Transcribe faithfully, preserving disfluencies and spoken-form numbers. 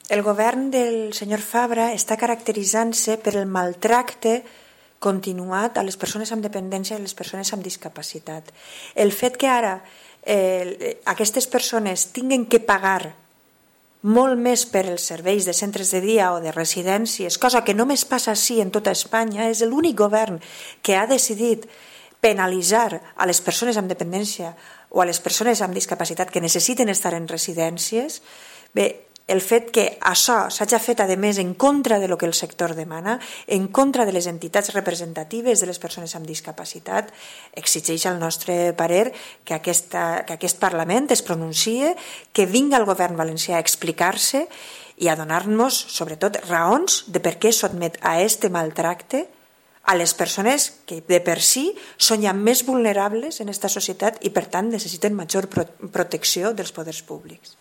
el govern del senyor Fabra està caracteritzant-se per el maltracte continuat a les persones amb dependència i a les persones amb discapacitat. El fet que ara eh, aquestes persones tinguin que pagar molt més per els serveis de centres de dia o de residències, cosa que només passa així en tota Espanya, és l'únic govern que ha decidit penalitzar a les persones amb dependència o a les persones amb discapacitat que necessiten estar en residències. Bé, el fet que això s'hagi fet, a més, en contra del que el sector demana, en contra de les entitats representatives de les persones amb discapacitat, exigeix al nostre parer que, aquesta, que aquest Parlament es pronuncie, que vingui el govern valencià a explicar-se i a donar-nos, sobretot, raons de per què sotmet a este maltracte a les persones que de per si són ja més vulnerables en aquesta societat i per tant necessiten major protecció dels poders públics.